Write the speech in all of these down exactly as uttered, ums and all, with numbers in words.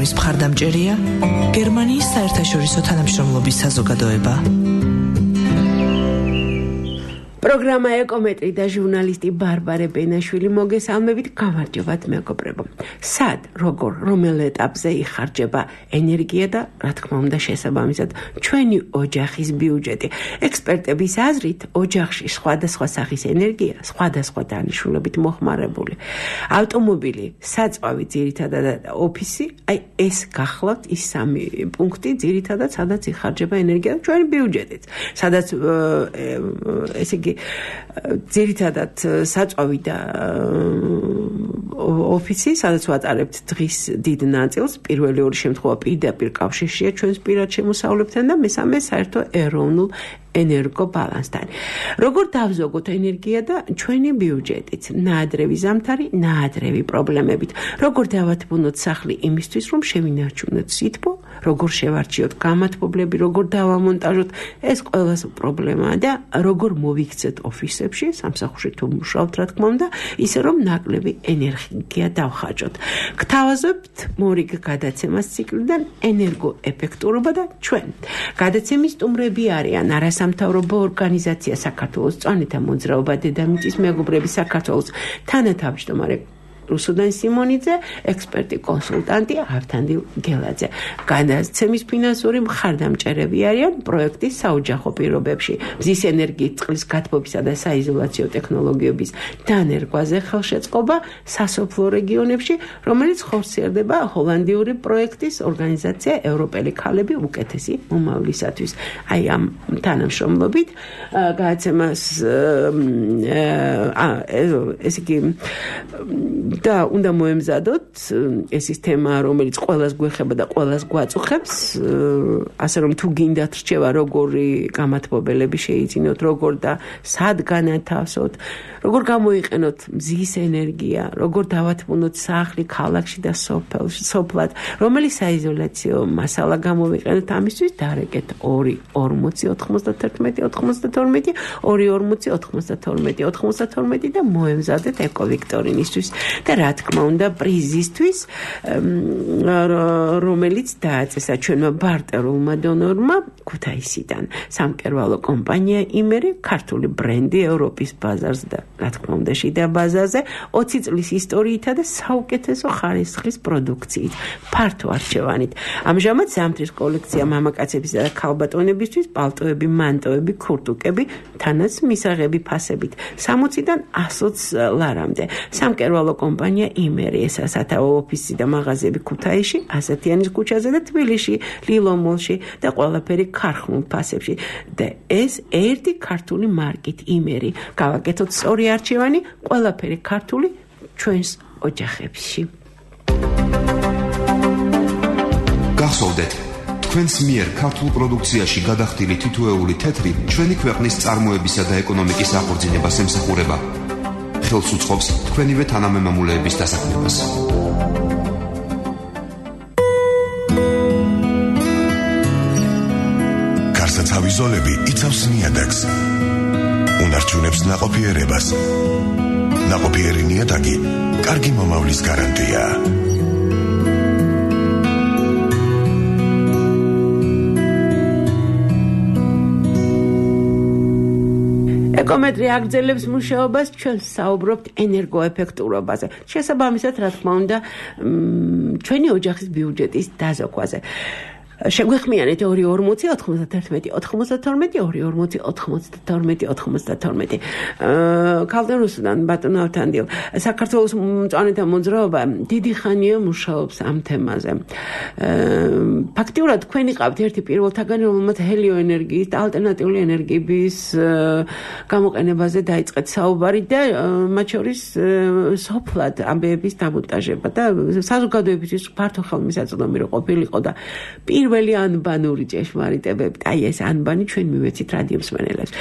პროგრამის მხარდამჭერია გერმანიის საერთაშორისო თანამშრომლობის საზოგადოება. პროგრამა ეკომეტრი და ჟურნალისტი ბარბარე ბენაშვილი მოგესალმებით. გამარჯობათ მეგობრებო. სად, როგორ, რომელ ეტაპზე იხარჯება ენერგია და რა თქმა უნდა შესაბამისად ჩვენი ოჯახის ბიუჯეტი. ექსპერტების აზრით, ოჯახში სხვადასხვა სახის ენერგია სხვადასხვა დანიშნულებით მოხმარებული. ავტომობილი, საწვავი ძირითადად ოფისი, აი ეს გახლავთ ის სამი პუნქტი ძირითადად სადაც იხარჯება ენერგია და ჩვენი ბიუჯეტიც. სადაც ესე იგი ძირითადად საწვავი და ოფისი, სადაც ვატარებთ დღის დიდ ნაწილს, პირველი ორი შემთხვევა პირდაპირ კავშირშია ჩვენს პირად შემოსავლებთან და მესამე საერთო ეროვნულ ენერგო ბალანსთან. როგორ დავზოგოთ ენერგია და ჩვენი ბიუჯეტით, ნაადრევი ზამთარი, ნაადრევი პრობლემებით. როგორ დავათბუნოთ სახლი იმისთვის, რომ შევინარჩუნოთ სითბო, როგორ შევარჩიოთ გამათბობლები, როგორ დავამონტაჟოთ, ეს ყველას პრობლემაა და როგორ მოვიქცეთ ოფისებში, სამსახურში თუ მუშაობთ, რა თქმა უნდა, ისე რომ ნაკლები ენერგია დავხარჯოთ. გთავაზობთ მორიგ გადაცემას ციკლიდან ენერგოეფექტურობა და ჩვენ. გადაცემის სტუმრები არიან არასამთავრობო ორგანიზაცია საქართველოს წვანეთა მოძრაობა დედამიწის მეგობრები საქართველოს თანათავმჯდომარე რუსუდან სიმონიძე, ექსპერტი კონსულტანტი ავთანდილ გელაძე. გადაცემის ფინანსური მხარდამჭერები არიან პროექტის საოჯახო პირობებში მზის ენერგიის წყლის გათბობისა და საიზოლაციო ტექნოლოგიების დანერგვაზე ხელშეწყობა სასოფლო რეგიონებში, რომელიც ხორციელდება ჰოლანდიური პროექტის ორგანიზაცია ევროპელი ქალები უკეთესი მომავლისათვის. აი ამ თანამშრომლობით გადაცემას ესე იგი და უნდა მოემზადოთ ეს ის თემა, რომელიც ყველას გვეხება და ყველას გვაწუხებს, ასე რომ თუ გინდათ რჩევა, როგორი გამათბობელები შეიძინოთ, როგორ და სად განათავსოთ, როგორ გამოიყენოთ მზის ენერგია, როგორ დავათბუნოთ სახლი, ქალაქში და სოფელში, სოფლად, რომელი საიზოლაციო მასალა გამოვიყენოთ ამისთვის, დარეკეთ ორი ორმოცი ოთხმოცდათერთმეტი ოთხმოცდათორმეტი ორი ორმოცი ოთხმოცდათორმეტი ოთხმოცდათორმეტი და მოემზადეთ ეკოვიქტორინისთვის. და რა თქმა უნდა პრიზისთვის, რომელიც დააწესა ჩვენმა ბარტერულმა დონორმა ქუთაისიდან. სამკერვალო კომპანია იმერი, ქართული ბრენდი ევროპის ბაზარზე და რა თქმა უნდა შიდა ბაზარზე, ოცი წლის ისტორიითა და საუკეთესო ხარისხის პროდუქციით, ფართო არჩევანით. ამჟამად ზამთრის კოლექცია მამაკაცებისა და ქალბატონებისთვის, პალტოები, მანტოები, ქურთუკები, თანაც მისაღები ფასებით, სამოციდან ასოც ლარამდე. სამკერვალო კომპანია იმერი, ესა სათავო ოფისი და მაღაზიები ქუთაისში, ასათიანის ქუჩაზე და თბილისში, ლილომოლში და ყველაფერი ქარხნულ ფასებში. და ეს ერთი ქართული მარკით იმერი. გავაკეთოთ სწორი არჩევანი, ყველაფერი ქართული ჩვენს ოჯახებში. გახსოვდეთ, თქვენს მიერ ქართულ პროდუქციაში გადახდილი თითოეული თეთრი ჩვენი ქვეყნის წარმოებისა და ეკონომიკის აღორძინებას ემსახურება. ხელს უწყობს თქვენივე თანამემამულეების დასაქმებას. გარსაცავი ზოლები იცავს ნიადაგს. უნარჩუნებს ნაყოფიერებას. ნაყოფიერი ნიადაგი კარგი მომავლის გარანტია. ეკომეტრი აგრძელებს მუშაობას, ჩვენ საუბრობთ ენერგოეფექტურობაზე. შესაბამისად, რა თქმა უნდა, ჩვენი ოჯახის ბიუჯეტის დაზოგვაზე. შეგვეხმიანეთ ორი ორმოცი ოთხმოცდათერთმეტი ოთხმოცდათორმეტი ორი ორმოცი ოთხმოცდათორმეტი ოთხმოცდათორმეტი. ქალბატონ რუსუდან ბატონო ავთანდილ, საქართველოს წვანეთა მოძრაობა დიდი ხანია მუშაობს ამ თემაზე. ფაქტიურად თქვენ იყავთ ერთი პირველთაგანი, რომელმაც ჰელიოენერგიის და ალტერნატიული ენერგიების გამოყენებაზე დაიწყეთ საუბარი და მათ შორის სოფლად ამბების დამონტაჟება და საზოგადოებისთვის ფართო ხელმისაწვდომი რო ყოფილიყო და პირველი ანბანური ჭეშმარიტებები, აი ეს ანბანი ჩვენ მივეცით რადიო მსმენელებს.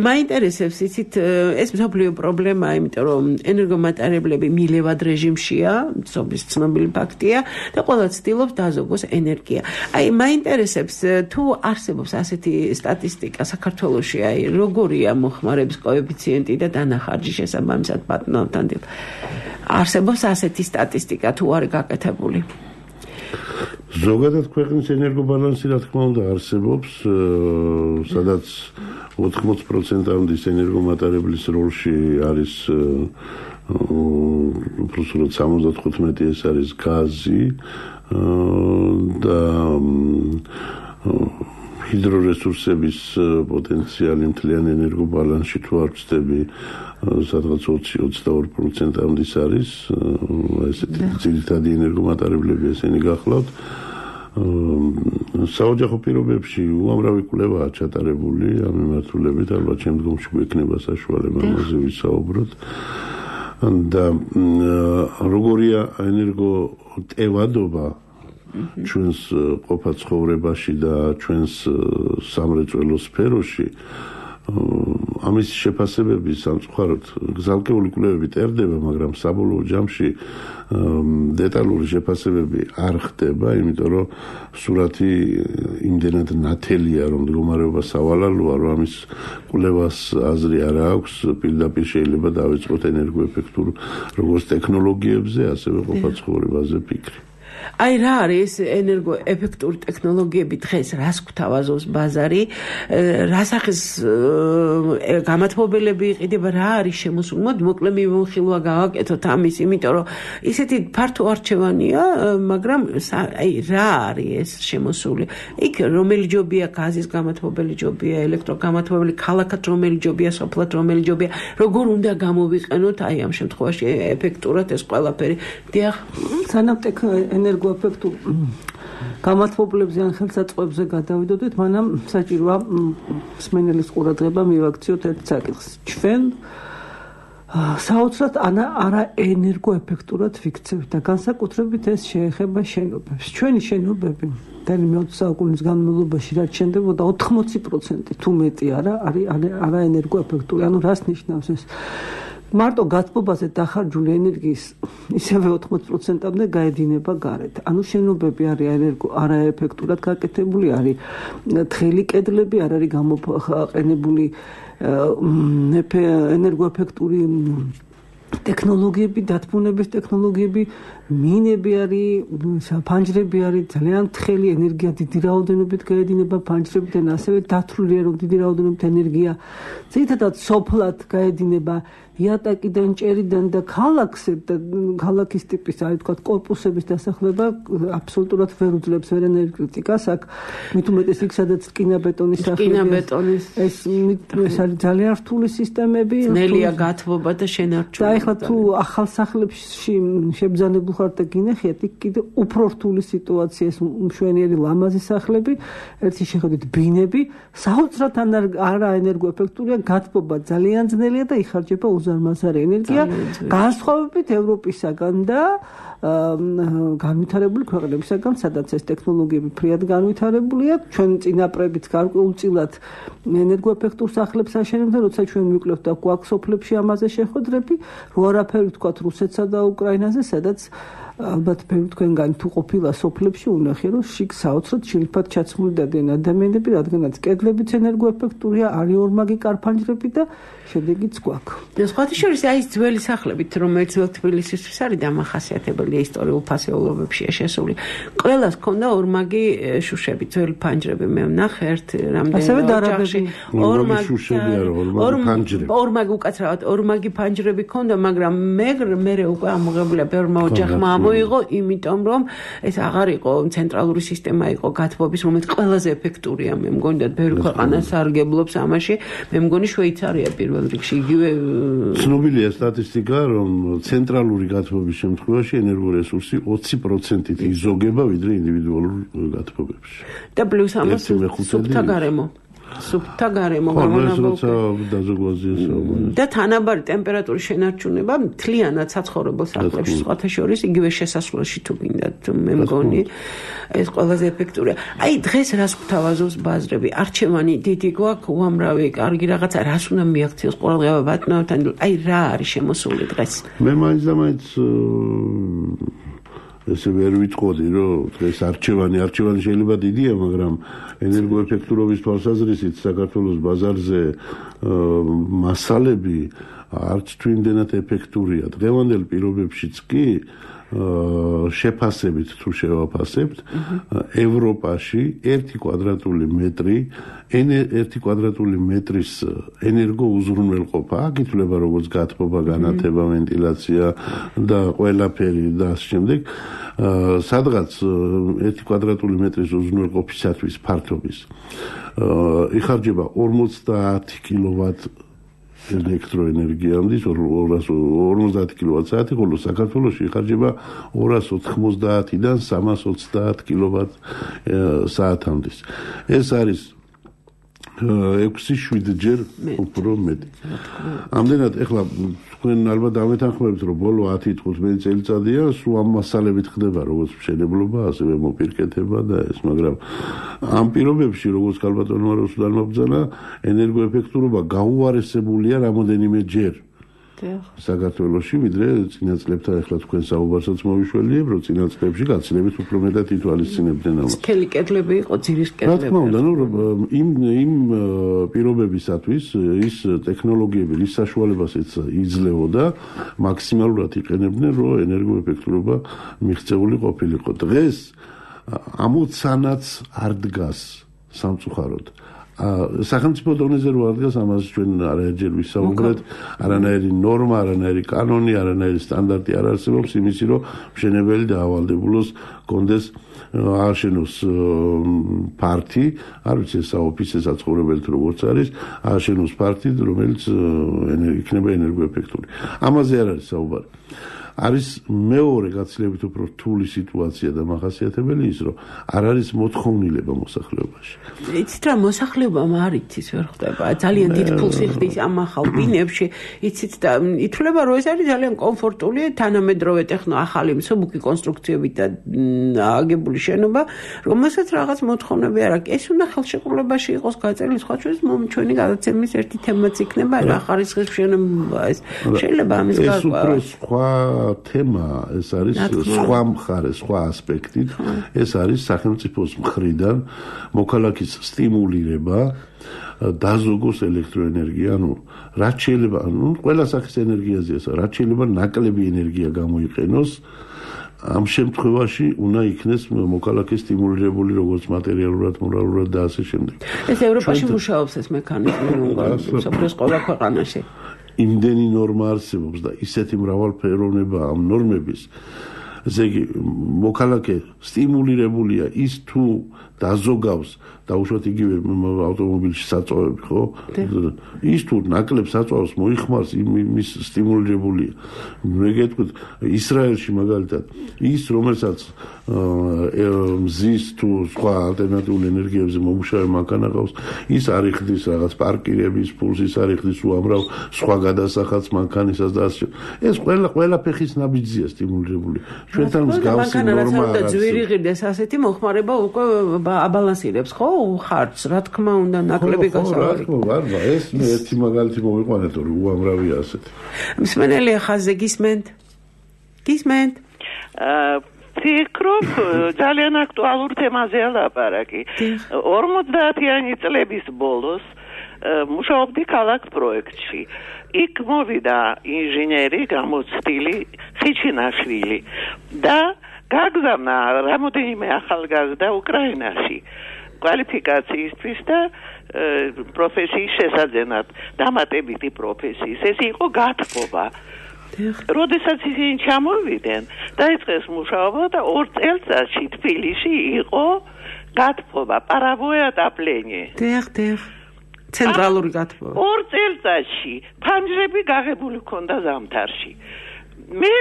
მაინტერესებს იცით, ეს მსოფლიო პრობლემაა, იმიტომ რომ ენერგომატარებლები მილევად რეჟიმშია, სოფლის ცნობილი ფაქტია და ყველა ცდილობს დაზოგოს ენერგია. აი მაინტერესებს, თუ არსებობს ასეთი სტატისტიკა საქართველოში, აი როგორია მოხმარების კოეფიციენტი და დანახარჯი შესაბამისად ბატონო ავთანდილ. არსებობს ასეთი სტატისტიკა თუ არის გაკეთებული? ზოგადად ქვეყნის ენერგობალანსი რა თქმა უნდა არსებობს, სადაც ოთხმოცი პროცენტამდე ენერგომატარებლის როლში არის უბრალოდ სამოცდათხუთმეტი ეს არის გაზი და ჰიდრორესურსების პოტენციალი მთლიან ენერგობალანსში თუ არ ვცდები სადღაც ოცი ოცდაორი პროცენტამდე არის ესეთი ძირითადი ენერგომატარებლები ესენი გახლავთ საოჯახო პირობებში უამრავი კვლევაა ჩატარებული ამ მიმართულებით ალბათ შემდგომში გვექნება საშუალება ამაზე ვისაუბროთ და როგორია ენერგოტევადობა ჩვენს ყოფა ცხოვრებაში და ჩვენს სამრეწველო სფეროში ამის შეფასებები სამწუხაროდ გზალკეული კვლევები წერდება, მაგრამ საბოლოო ჯამში დეტალური შეფასებები არ ხდება, იმიტომ რომ სურათი იმდენად ნათელია, რომ მდგომარეობა სავალალოა, რომ ამის კვლევას აზრი არ აქვს, პირდაპირ შეიძლება დავიწყოთ ენერგოეფექტურ როგორც ტექნოლოგიებზე, ასევე ყოფა ცხოვრებაზე ფიქრი. აი რა არის ენერგოეფექტური ტექნოლოგიები დღეს რას გვთავაზობს ბაზარი რასახის გამათბობელები იყიდება რა არის შემოსული მოდი მოკლე მივიხილვა გავაკეთოთ ამის იმიტომ რომ ისეთი ფართო არჩევანია მაგრამ აი რა არის ეს შემოსული იქ რომელი ჯობია გაზის გამათბობელი ჯობია ელექტროგამათბობელი ქალაქად რომელი ჯობია სოფლად რომელი ჯობია როგორ უნდა გამოვიყენოთ აი ამ შემთხვევაში ეფექტურად ეს ყველაფერი დიახ სანამ ენერგოეფექტურ გამათბობლებზე ან ხელსაწყოებზე გადავიდოდეთ, მანამ საჭიროა მსმენელის ყურადღება მივაქციოთ ერთ საკითხს. ჩვენ საოცრად არა ენერგოეფექტურად ვიქცევთ და განსაკუთრებით ეს შეეხება შენობებს. ჩვენი შენობები მთელი მეოცე საუკუნის განმავლობაში რაც შენდებოდა ოთხმოცი პროცენტი თუ მეტი არა არის არა ენერგოეფექტური. ანუ რას ნიშნავს ეს? მარტო გათბობაზე დახარჯული ენერგიის ისევე ოთხმოცი პროცენტამდე გაედინება გარეთ. ანუ შენობები არის ენერგო არაეფექტურად გაკეთებული, არის თხელი კედლები, არ არის გამოყენებული ენერგოეფექტური ტექნოლოგიები, დათბუნების ტექნოლოგიები, მინები არის, ფანჯრები არის, ძალიან თხელი ენერგია დიდი რაოდენობით გაედინება ფანჯრებიდან, ასევე დათვლილია რომ დიდი რაოდენობით ენერგია ძირითადად სოფლად გაედინება იატაკიდან, ჭერიდან და ქალაქზე და ქალაქის ტიპის, აი თქვა კორპუსების დასახლება აბსოლუტურად ვერ უძლებს ვერ ენერგეტიკას, აქ მით უმეტეს იქ სადაც რკინა-ბეტონის რკინა-ბეტონის ეს ეს არის ძალიან რთული სისტემები, ნელია გათბობა და შენარჩუნება. და ეხლა თუ ახალ სახლებში შებძანებულ ხართ და გინახიათ, იქ კიდე უფრო რთული სიტუაცია ეს მშვენიერი ლამაზი სახლები, ერთი შეხედვით ბინები, საოცრად არა ენერგოეფექტურია, გათბობა ძალიან ძნელია და იხარჯება უზარმაზარი ენერგია, განსხვავებით ევროპისაგან და განვითარებული ქვეყნებისაგან, სადაც ეს ტექნოლოგიები ფრიად განვითარებულია, ჩვენ წინაპრებიც გარკვეულწილად ენერგოეფექტურ სახლებს აშენებდნენ, როცა ჩვენ მივკლებთ და გვაქვს სოფლებში ამაზე შეხვედრები, რო არაფერი ვთქვათ რუსეთსა და უკრაინაზე, სადაც ალბათ ბევრი თქვენგანი თუ ყოფილა სოფლებში უნახე რომ შიგ საოცრად შილფად ჩაცმული დადიან ადამიანები, რადგანაც კედლებიც ენერგოეფექტურია, არის ორმაგი კარფანჯრები და შედეგიც გვაქვს. სხვათა შორის აი ეს ძველი სახლებით, რომელიც ძველ თბილისისთვის არის დამახასიათებელი ისტორიულ ფასეულობებშია შესული. ყველას ჰქონდა ორმაგი შუშები, ძველი ფანჯრები. მე ვნახე ერთ რამდენი ოჯახში ორმაგი შუშები არა, ორმაგი ფანჯრები. ორმაგი უკაცრავად ორმაგი ფანჯრები ჰქონდა, მაგრამ მე მე უკვე ამოღებულია ბევრმა ოჯახმა მოიღო, იმიტომ რომ ეს აღარ იყო ცენტრალური სისტემა იყო გათბობის, რომელიც ყველაზე ეფექტურია. მე მგონი და ბევრი ქვეყანა სარგებლობს ამაში. მე მგონი შვეიცარია პირველ რიგში იგივე ცნობილია სტატისტიკა, რომ ცენტრალური გათბობის შემთხვევაში ენერგორესურსი ოცი პროცენტით იზოგება ვიდრე ინდივიდუალურ გათბობებში. და პლუს ამას სუფთა გარემო. სუფთა გარემო გამონაბოლქვი და თანაბარი ტემპერატურის შენარჩუნება მთლიანად საცხოვრებელ სახლებში სხვათა შორის იგივე შესასვლელში თუ გინდათ მე მგონი ეს ყველაზე ეფექტურია. აი დღეს რას გვთავაზობს ბაზრები? არჩევანი დიდი გვაქვს, უამრავი კარგი რაღაცა, რას უნდა მიაქციოს ყურადღება ბატონებთან? აი რა არის შემოსული დღეს? მე მაინც და მაინც ესე ვერ ვიტყოდი, რომ დღეს არჩევანი, არჩევანი შეიძლება დიდია, მაგრამ ენერგოეფექტურობის თვალსაზრისით საქართველოს ბაზარზე მასალები არც თუ იმდენად ეფექტურია. დღევანდელ პირობებშიც კი შეფასებით თუ შევაფასებთ, ევროპაში ერთი კვადრატული მეტრი ერთი კვადრატული მეტრის ენერგო უზრუნველყოფა, აქ ითვლება როგორც გათბობა, განათება, ვენტილაცია და ყველაფერი და ამ შემდეგ სადღაც ერთი კვადრატული მეტრის უზრუნველყოფისათვის ფართობის იხარჯება ორმოცდაათი კილოვატ ელექტროენერგიამდე ორმოცდაათი კილოვატ-საათი, ხოლო საქართველოში იხარჯება ორას ოთხმოცდაათიდან სამას ოცდაათ კილოვატ-საათამდე. ეს არის ექვსი შვიდ ჯერ უფრო მეტი. ამდენად ეხლა თქვენ ალბათ დამეთანხმებით, რომ ბოლო ათი თხუთმეტი წელიწადია სულ ამ მასალებით ხდება როგორც მშენებლობა, ასევე მოპირკეთება და ეს, მაგრამ ამ პირობებში როგორც ქალბატონმა რუსლანმა ბრძანა, ენერგოეფექტურობა გაუარესებულია რამოდენიმე ჯერ. საქართველოში, ვიდრე წინა წლებთან ეხლა თქვენ საუბარსაც მოვიშველიებ, რომ წინა წლებში გაცილებით უფრო მეტად ითვალისწინებდნენ ამას. სქელი კედლები იყო, ძირის კედლები. რა თქმა უნდა, ნუ იმ იმ პირობებისათვის ის ტექნოლოგიები, რის საშუალებასაც იძლეოდა, მაქსიმალურად იყენებდნენ, რომ ენერგოეფექტურობა მიღწეული ყოფილიყო. დღეს ამოცანაც არ დგას სამწუხაროდ. სახელმწიფო დონეზე რო არ დგას, ამას ჩვენ არაერთხელ ვისაუბრეთ, არანაირი ნორმა, არანაირი კანონი, არანაირი სტანდარტი არ არსებობს იმისი, რომ მშენებელი დაავალდებულოს, კონდეს ააშენოს პარტი, არ ვიცი ეს საოფისე საცხოვრებელი თუ როგორც არის, ააშენოს პარტი, რომელიც იქნება ენერგოეფექტური. ამაზე არ არის საუბარი. არის მეორე გაცილებით უფრო რთული სიტუაცია და მახასიათებელი ის, რომ არ არის მოთხოვნილება მოსახლეობაში. იცით რა, მოსახლეობამ არ იცის ვერ ხდება. ძალიან დიდ ფულს იხდის ამ ახალ ბინებში, იცით და ითვლება, რომ ეს არის ძალიან კომფორტული, თანამედროვე ტექნო ახალი მსუბუქი კონსტრუქციებით და აგებული შენობა, რომელსაც რაღაც მოთხოვნები არ აქვს. ეს უნდა ხელშეკრულებაში იყოს გაწერილი, სხვა ჩვენს ჩვენი გადაცემის ერთი თემაც იქნება, რა ხარისხის შენობა ეს. შეიძლება ამის ეს უფრო სხვა თემა, ეს არის სხვა მხარე, სხვა ასპექტი. ეს არის სახელმწიფოს მხრიდან მოქალაქის სტიმულირება დაზოგოს ელექტროენერგია, ანუ რაც შეიძლება, ანუ ყველა სახის ენერგიაზეა, რაც შეიძლება ნაკლები ენერგია გამოიყენოს. ამ შემთხვევაში უნდა იქნეს მოქალაქე სტიმულირებული როგორც მატერიალურად, მორალურად და ასე შემდეგ. ეს ევროპაში მუშაობს ეს მექანიზმი, სოფლის ყველა ქვეყანაში. იმდენი ნორმა არსებობს და ისეთი მრავალფეროვნება ამ ნორმების, ესე იგი მოქალაქე სტიმულირებულია ის თუ დაზოგავს დაუშვათ იგივე ავტომობილში საწვავები, ხო? ის თუ ნაკლებ საწვავს მოიხმარს, იმის სტიმულირებულია. მე გეტყვით, ისრაელში მაგალითად, ის რომელსაც მზის თუ სხვა ალტერნატიული ენერგიებზე მომუშავე მანქანა ყავს, ის არ იხდის რაღაც პარკირების ფულს, ის არ იხდის უამრავ სხვა გადასახადს მანქანისას და ასე. ეს ყველა ყველა ფეხის ნაბიჯზეა სტიმულირებული. ჩვენთან მსგავსი ნორმა არ არის. ძვირი ღირდეს ასეთი მოხმარება უკვე აბალანსირებს, ხო? ხარჯს, რა თქმა უნდა, ნაკლები გასავალი. ხო, რა თქმა, ეს მე ერთი მაგალითი მოვიყვანეთ, რომ უამრავია ასეთი. მსმენელი ხაზზე გისმენთ? გისმენთ? აა ფიქრობ, ძალიან აქტუალურ თემაზეა ლაპარაკი. ორმოცდაათიანი წლების ბოლოს მუშაობდი ქალაქ პროექტში. იქ მოვიდა ინჟინერი გამოცდილი ხიჩინაშვილი და გაგზავნა რამოდენიმე ახალგაზრდა უკრაინაში კვალიფიკაციისთვის და პროფესიის შესაძენად, დამატებითი პროფესიის. ეს იყო გათბობა. როდესაც ისინი ჩამოვიდნენ, დაიწყეს მუშაობა და ორ წელიწადში თბილისში იყო გათბობა, პარავოე ატაპლენიე. დიახ, დიახ. ცენტრალური გათბობა. ორ წელიწადში ფანჯრები გაღებული ჰქონდა ზამთარში. მე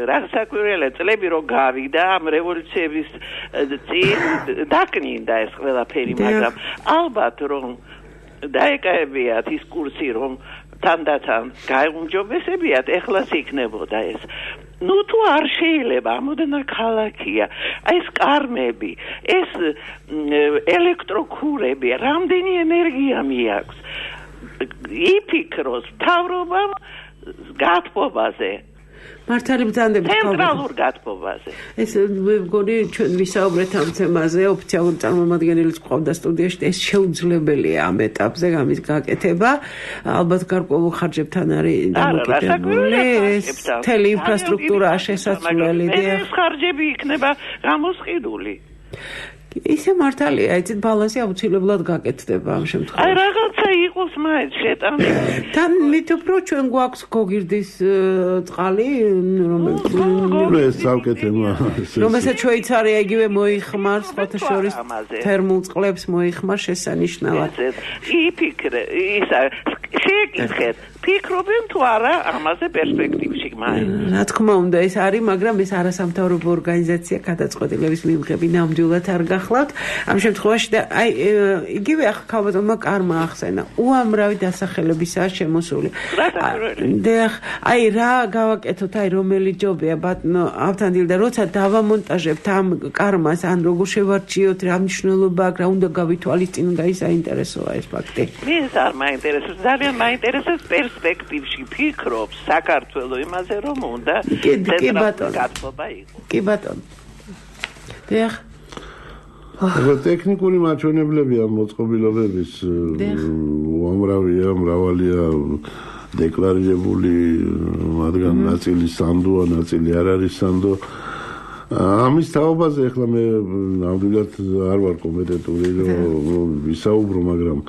რა საკვირველია წლები რო გავიდა ამ რევოლუციების წინ დაკნინდა ეს ყველაფერი, მაგრამ ალბათ რომ დაეკავებიათ ის კურსი, რომ თანდათან გაუმჯობესებიათ, ეხლაც იქნებოდა ეს. ნუ თუ არ შეიძლება, ამოდენა ქალაქია, ეს კარმები, ეს ელექტროქურები, რამდენი ენერგია მიაქვს. იფიქროს მთავრობამ გათბობაზე. მართალი ბრძანდებით ცენტრალურ გათბობაზე. ეს მე მგონი ჩვენ ვისაუბრეთ ამ თემაზე, ოფიციალური წარმომადგენელიც ყავდა სტუდიაში, ეს შეუძლებელია ამ ეტაპზე ამის გაკეთება. ალბათ გარკვეულ ხარჯებთან არის დამოკიდებული. ეს თელი ინფრასტრუქტურა შესაძლებელი. ეს ხარჯები იქნება გამოსყიდული. ისე მართალია, იცით, ბალანსი აუცილებლად გაკეთდება ამ შემთხვევაში. აი რაღაცა იყოს მაინც შეტანილი. თან მით უფრო ჩვენ გვაქვს გოგირდის წყალი, რომელიც ეს ცალკე თემა. რომელსაც შვეიცარია იგივე მოიხმარს, სხვათა შორის თერმულ წყლებს მოიხმარს შესანიშნავად. იფიქრე, ისა შეეკითხეთ, ფიქრობენ თუ არა ამაზე პერსპექტივში მაინც. რა თქმა უნდა, ეს არის, მაგრამ ეს არასამთავრობო ორგანიზაცია გადაწყვეტილების მიმღები ნამდვილად არ გახლავთ. ამ შემთხვევაში და აი იგივე ახლა ქალბატონმა კარმა ახსენა, უამრავი დასახელებისაა შემოსული. და აი რა გავაკეთოთ, აი რომელი ჯობია ბატონო ავთანდილ და როცა დავამონტაჟებთ ამ კარმას, ან როგორ შევარჩიოთ, რა მნიშვნელობა აქვს, რა უნდა გავითვალისწინოთ, აი საინტერესოა ეს ფაქტი. მის არ მაინტერესებს, ძალიან მაინტერესებს პერსპექტივში ფიქრობს საქართველოს იმაზე, რომ უნდა ცენტრალური გათბობა იყოს. კი ბატონო. დიახ. ახლა ტექნიკური მაჩვენებლები ამ მოწყობილობების უამრავია, მრავალია დეკლარირებული, მათგან ნაწილი სანდოა, ნაწილი არ არის სანდო. ამის თაობაზე ახლა მე ნამდვილად არ ვარ კომპეტენტური რომ ვისაუბრო, მაგრამ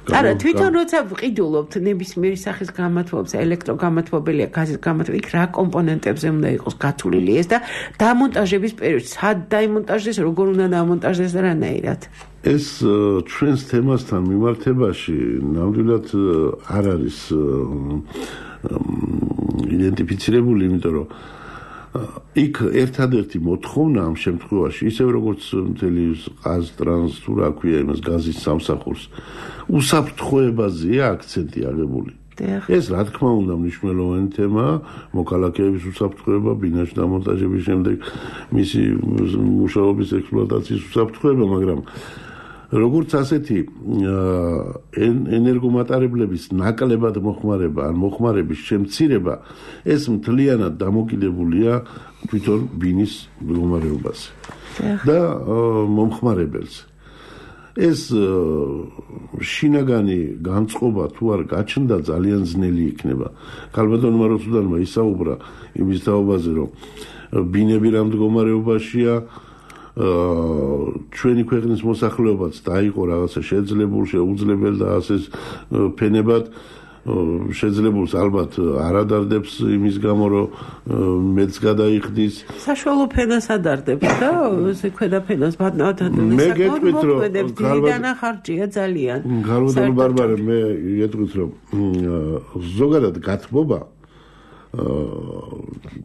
არა, თვითონ როცა ვყიდულობთ ნებისმიერი სახის გამათბობს, ელექტროგამათბობელია, გაზის გამათბობელი, რა კომპონენტებზე უნდა იყოს გათვლილი ეს და დამონტაჟების პერიოდში, სად დაიმონტაჟდეს, როგორ უნდა დამონტაჟდეს და რანაირად? ეს ჩვენს თემასთან მიმართებაში ნამდვილად არ არის იდენტიფიცირებული, იმიტომ რომ იქ ერთადერთი მოთხოვნა ამ შემთხვევაში, ისევ როგორც მთელი ყაზტრანს თუ რა ქვია იმას გაზის სამსახურს, უსაფრთხოებაზეა აქცენტი აღებული. ეს რა თქმა უნდა მნიშვნელოვანი თემაა, მოქალაქეების უსაფრთხოება, ბინაში დამონტაჟების შემდეგ მისი მუშაობის ექსპლუატაციის უსაფრთხოება, მაგრამ როგორც ასეთი ენერგომატარებლების ნაკლებად მოხმარება ან მოხმარების შემცირება ეს მთლიანად დამოკიდებულია თვითონ ბინის მდგომარეობაზე და მომხმარებელზე. ეს შინაგანი განწყობა თუ არ გაჩნდა ძალიან ძნელი იქნება. ქალბატონმა როცუდანმა ისაუბრა იმის თაობაზე, რომ ბინები რა მდგომარეობაშია, ჩვენი ქვეყნის მოსახლეობაც დაიყო რაღაცა შეძლებულ, შეუძლებელ და ასე ფენებად შეძლებულს ალბათ არ ადარდებს იმის გამო, რომ მეც გადაიხდის. საშუალო ფენას ადარდებს და ესე ქვედა ფენას ბატონთან მე გეტყვით, რომ დიიდან ხარჯია ძალიან. ქალბატონ ბარბარე, მე გეტყვით, რომ ზოგადად გათბობა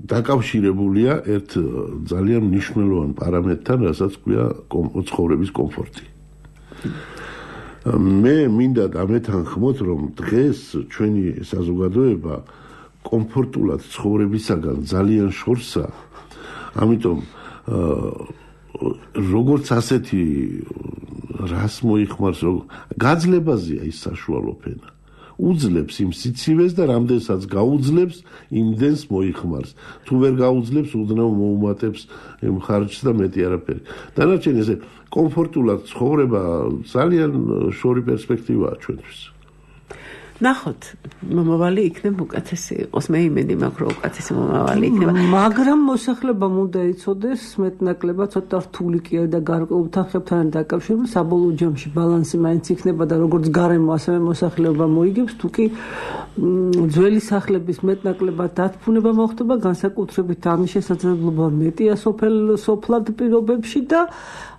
დაკავშირებულია ერთ ძალიან მნიშვნელოვან პარამეტრთან, რასაც ქვია ცხოვრების კომფორტი. მე მინდა დამეთანხმოთ, რომ დღეს ჩვენი საზოგადოება კომფორტულად ცხოვრებისაგან ძალიან შორსა, ამიტომ როგორც ასეთი რას მოიხმარს, გაძლებაზეა ის საშუალო ფენა. უძლებს იმ სიცივეს და რამდენსაც გაუძლებს, იმდენს მოიხმარს. თუ ვერ გაუძლებს, უდნავ მოუმატებს იმ ხარჯს და მეტი არაფერი. დანარჩენი ესე კომფორტულად ცხოვრება ძალიან შორი პერსპექტივაა ჩვენთვის. ნახოთ, მომავალი იქნება უკეთესი იყოს. მე იმედი მაქვს, რომ უკეთესი მომავალი იქნება. მაგრამ მოსახლებამ უნდა იცოდეს მეტნაკლებად ცოტა რთული კი არის და გარკვეულ თანხებთან დაკავშირებული საბოლოო ჯამში ბალანსი მაინც იქნება და როგორც გარემო ასევე მოსახლეობა მოიგებს, თუ კი ძველი სახლების მეტნაკლებად დათფუნება მოხდება, განსაკუთრებით ამის შესაძლებლობა მეტია სოფელ სოფლად პირობებში და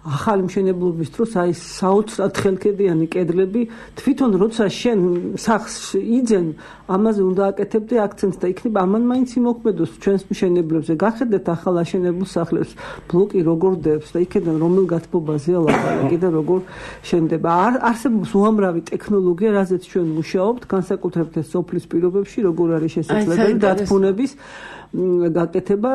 ახალი მშენებლობის დროს აი საოცრად ხელქედიანი კედლები თვითონ როცა შენ სახს იძენ ამაზე უნდა აკეთებდე აქცენტს და იქნება ამან მაინც იმოქმედოს ჩვენს მშენებლებზე. გახედეთ ახალ აშენებულ სახლებს, ბლოკი როგორ დევს და იქიდან რომელ გათბობაზეა ლაპარაკი და როგორ შენდება. არსებობს უამრავი ტექნოლოგია, რაზეც ჩვენ მუშაობთ, განსაკუთრებით სოფლის პირობებში, როგორ არის შესაძლებელი დათბუნების გაკეთება,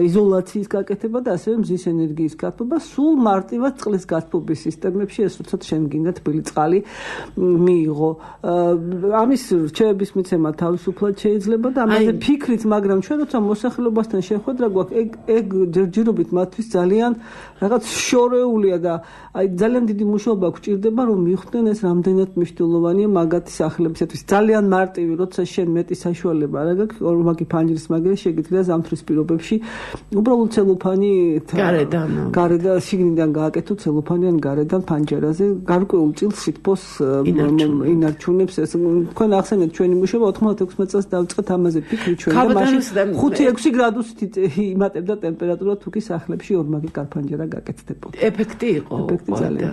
იზოლაციის გაკეთება და ასევე მზის ენერგიის გათბობა, სულ მარტივად წყლის გათბობის სისტემებში, ეს როდესაც შენ გინდა თბილი წყალი მიიღო. ამის რჩევების მიცემა თავისუფლად შეიძლება და ამაზე ფიქრით, მაგრამ ჩვენ როცა მოსახლეობასთან შეხვედრა გვაქვს, ეგ ეგ ჯერჯერობით მათთვის ძალიან რაღაც შორეულია და აი ძალიან დიდი მუშაობა გვჭირდება, რომ მიხვდნენ ეს რამდენად მნიშვნელოვანია მაგათი სახლებისათვის. ძალიან მარტივი, როცა შენ მეტი საშუალება არ გაქვს, ორმაგი ფანჯრის მაგერე შეგიძლია ზამთრის პირობებში უბრალოდ ცელოფანი გარედან გარედან შიგნიდან გააკეთო ცელოფანიან გარედან ფანჯერაზე გარკვეულ წილს სითბოს ინარჩუნებს ეს თქვენ ახსენეთ ჩვენი მუშაობა ოთხმოცდაექვსი წელს დავწყეთ ამაზე ფიქრი ჩვენ და მაშინ ხუთი ექვსი გრადუსით იმატებდა ტემპერატურა თუ კი სახლებში ორმაგი კარფანჯერა გაკეთდებოდა. ეფექტი იყო. ეფექტი ძალიან.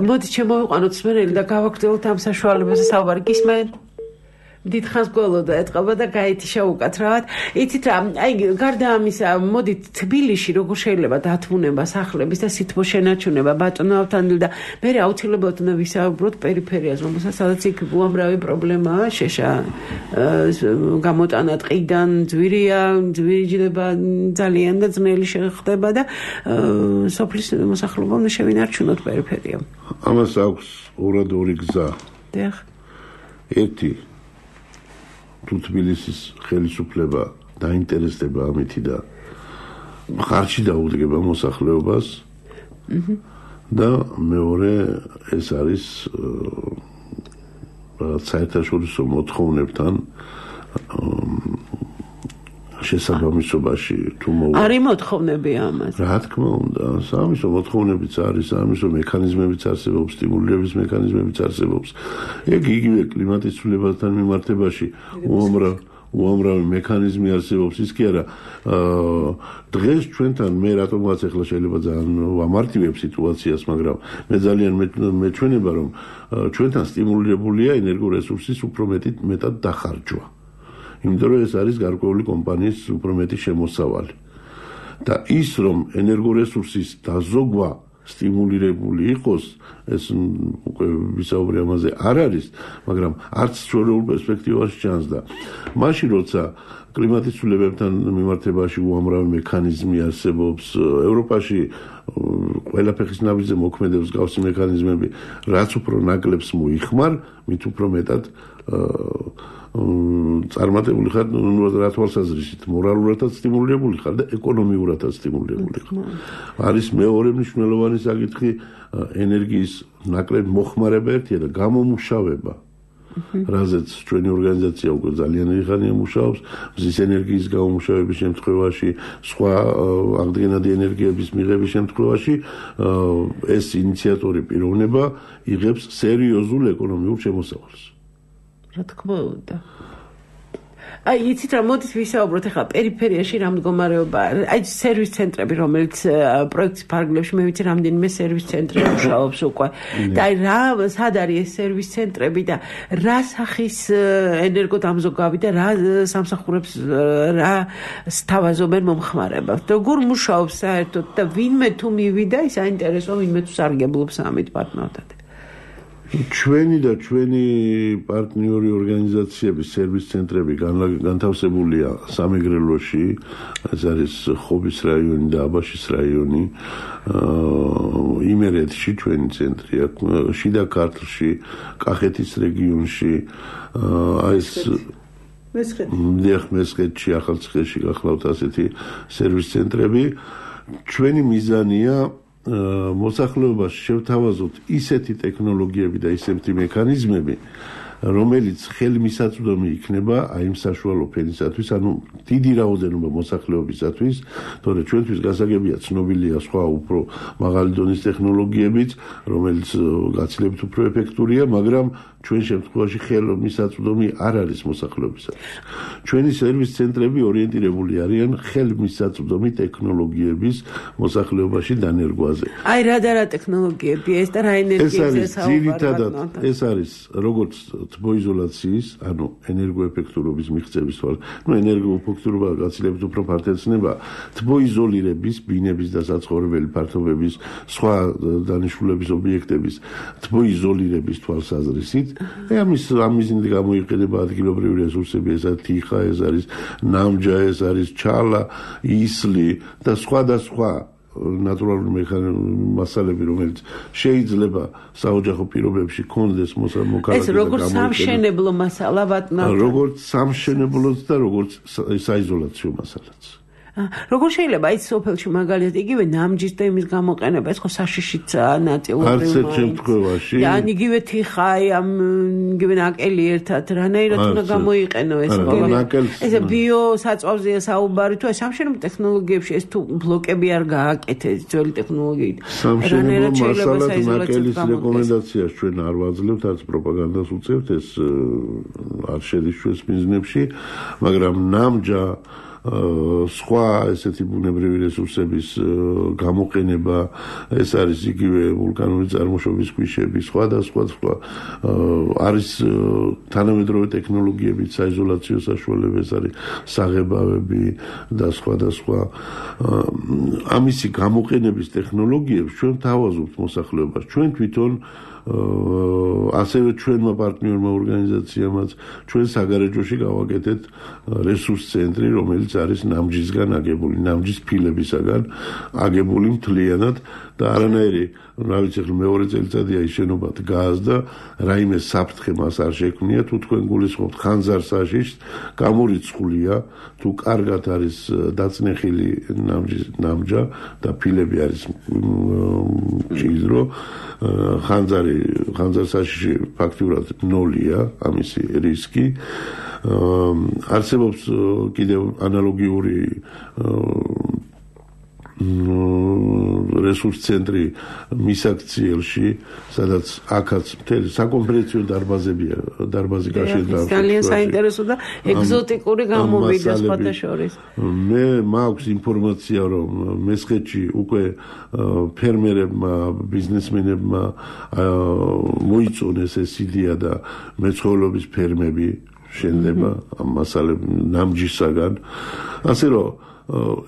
მოდი შემოვიყვანოთ სმენელი და გავაგრძელოთ ამ საშუალებაზე საუბარი. გისმენ? დიდხანს გველოდა ეთყობა და გაითიშა უკაცრავად. იცით რა, აი გარდა ამისა, მოდით თბილისში როგორ შეიძლება დათმუნება სახლების და სითბოს შენარჩუნება ბატონობთან და მე აუცილებლად უნდა ვისაუბროთ პერიფერიაზე, რომელსაც სადაც იქ უამრავი პრობლემაა, შეშა გამოტანა ტყიდან, ძვირია, ძვირი ჯდება ძალიან და ძნელი ხდება და სოფლის მოსახლეობა უნდა შევინარჩუნოთ პერიფერია. ამას აქვს ორად ორი გზა. დიახ. ერთი თუ თბილისის ხელისუფლება დაინტერესდება ამითი და ხარჯი დაუდგება მოსახლეობას და მეორე ეს არის საერთაშორისო მოთხოვნებთან შესაბამისობაში თუ მოვა არის მოთხოვნები ამაზე. რა თქმა უნდა, სამისო მოთხოვნებიც არის, სამისო მექანიზმებიც არსებობს, სტიმულირების მექანიზმებიც არსებობს. ეგ იგივე კლიმატის ცვლილებასთან მიმართებაში უამრავ უამრავი მექანიზმი არსებობს. ის კი არა, დღეს ჩვენთან მე რატომღაც ახლა შეიძლება ძალიან ვამართივებ სიტუაციას, მაგრამ მე ძალიან მეჩვენება, რომ ჩვენთან სტიმულირებულია ენერგორესურსის უფრო მეტი მეტად დახარჯვა. იმიტომ რომ ეს არის გარკვეული კომპანიის უფრო მეტი შემოსავალი. და ის რომ ენერგორესურსის დაზოგვა სტიმულირებული იყოს, ეს უკვე ვისაუბრე ამაზე არ არის, მაგრამ არც შორეულ პერსპექტივაში ჩანს და მაშინ როცა კლიმატის ცვლილებებთან მიმართებაში უამრავი მექანიზმი არსებობს, ევროპაში ყველა ფეხის ნაბიჯზე მოქმედებს გავსი მექანიზმები, რაც უფრო ნაკლებს მოიხმარ, მით უფრო მეტად წარმატებული ხარ რა თვალსაზრისით, მორალურადაც სტიმულირებული ხარ და ეკონომიურადაც სტიმულირებული ხარ. არის მეორე მნიშვნელოვანი საკითხი ენერგიის ნაკლებ მოხმარება ერთია და გამომუშავება. რაზეც ჩვენი ორგანიზაცია უკვე ძალიან ხანია მუშაობს, მზის ენერგიის გამომუშავების შემთხვევაში, სხვა აღდგენადი ენერგიების მიღების შემთხვევაში ეს ინიციატორი პიროვნება იღებს სერიოზულ ეკონომიურ შემოსავალს. რა თქმა უნდა. აი, იცით რა, მოდით ვისაუბროთ ახლა პერიფერიაში რა მდგომარეობა. აი, სერვის ცენტრები, რომელიც პროექტის ფარგლებში მე ვიცი რამდენიმე სერვის ცენტრი მუშაობს უკვე. და აი რა, სად არის ეს სერვის ცენტრები და რა სახის ენერგოდამზოგავი და რა სამსახურებს რა სთავაზობენ მომხმარებელს. როგორ მუშაობს საერთოდ და ვინმე თუ მივიდა, ის აინტერესო, ვინმე თუ სარგებლობს ამით პარტნიორთან. ჩვენი და ჩვენი პარტნიორი ორგანიზაციების სერვის ცენტრები განთავსებულია სამეგრელოში, ეს არის ხობის რაიონი და აბაშის რაიონი, იმერეთში ჩვენი ცენტრია, შიდა ქართლში, კახეთის რეგიონში, აი ეს მესხეთში, ახალციხეში გახლავთ ასეთი სერვის ცენტრები. ჩვენი მიზანია მოსახლეობას შევთავაზოთ ისეთი ტექნოლოგიები და ისეთი მექანიზმები, რომელიც ხელმისაწვდომი იქნება აი იმ საშუალო ფენისათვის, ანუ დიდი რაოდენობა მოსახლეობისათვის, თორე ჩვენთვის გასაგებია ცნობილია სხვა უფრო მაღალი დონის ტექნოლოგიებიც, რომელიც გაცილებით უფრო ეფექტურია, მაგრამ ჩვენ შემთხვევაში ხელმისაწვდომი არ არის მოსახლეობისათვის. ჩვენი სერვის ცენტრები ორიენტირებული არიან ხელმისაწვდომი ტექნოლოგიების მოსახლეობაში დანერგვაზე. აი რა და რა ტექნოლოგიებია ეს და რა ენერგიებზე საუბარია? ეს არის როგორც თბოიზოლაციის, ანუ ენერგოეფექტურობის მიღწევის თვალ, ну ენერგოეფექტურობა გაცილებით უფრო ფართეცნება თბოიზოლირების, ბინების და საცხოვრებელი ფართობების, სხვა დანიშნულების ობიექტების თბოიზოლირების თვალსაზრისით. აი ამის ამიზნით გამოიყენება ადგილობრივი რესურსები, ეს არის თიხა, ეს არის ნამჯა, ეს არის ჩალა, ისლი და სხვა და სხვა ნატურალური მექანიზმი მასალები, რომელიც შეიძლება საოჯახო პირობებში კონდეს მოსამოქალაქე. ეს როგორც სამშენებლო მასალა ვატნა. როგორც სამშენებლოც და როგორც საიზოლაციო მასალაც. როგორ შეიძლება აი სოფელში მაგალითად იგივე ნამჯის და იმის გამოყენება ეს ხო საშიშიც ნაწილობრივ არც ერთ შემთხვევაში ან იგივე თიხაი ამ იგივე ნაკელი ერთად რანაირად უნდა გამოიყენო ეს ეს ბიო საწვავზეა საუბარი თუ სამშენებლო ტექნოლოგიებში ეს თუ ბლოკები არ გააკეთეს ძველი ტექნოლოგიით რანაირად შეიძლება ნაკელის რეკომენდაციას ჩვენ არ ვაძლევთ არც პროპაგანდას უწევთ ეს არ შედის ჩვენს მიზნებში მაგრამ ნამჯა სხვა ესეთი ბუნებრივი რესურსების გამოყენება ეს არის იგივე ვულკანური წარმოშობის ქვიშები სხვა და სხვა სხვა არის თანამედროვე ტექნოლოგიებით საიზოლაციო საშუალებები ეს არის საღებავები და სხვა და სხვა ამისი გამოყენების ტექნოლოგიებს ჩვენ თავაზობთ მოსახლეობას ჩვენ თვითონ ასევე ჩვენმა პარტნიორმა ორგანიზაციამაც ჩვენ საგარეჯოში გავაკეთეთ რესურს ცენტრი რომელიც არის ნამჯისგან აგებული ნამჯის ფილებისაგან აგებული მთლიანად და არანაირი რა ვიცი ხელ მეორე წელიწადია ის შენობა დგას და რაიმე საფრთხე მას არ შექმნია თუ თქვენ გულისხმობთ ხანძარსაშიშ გამორიცხულია თუ კარგად არის დაწნეხილი ნამჯის ნამჯა და ფილები არის ჭიდრო ხანძარი ხანძარსაშიში ფაქტიურად ნოლია ამისი რისკი არსებობს კიდევ ანალოგიური რესურს ცენტრი მისაქციელში, სადაც აქაც მთელი საკონფერენციო დარბაზებია, დარბაზი გაშენდა. ძალიან საინტერესო და ეგზოტიკური გამოვიდა სხვათა შორის. მე მაქვს ინფორმაცია, რომ მესხეთში უკვე ფერმერებმა, ბიზნესმენებმა მოიწონეს ეს იდეა და მეცხოველობის ფერმები შენდება ამ მასალებს ნამჯისაგან. ასე რომ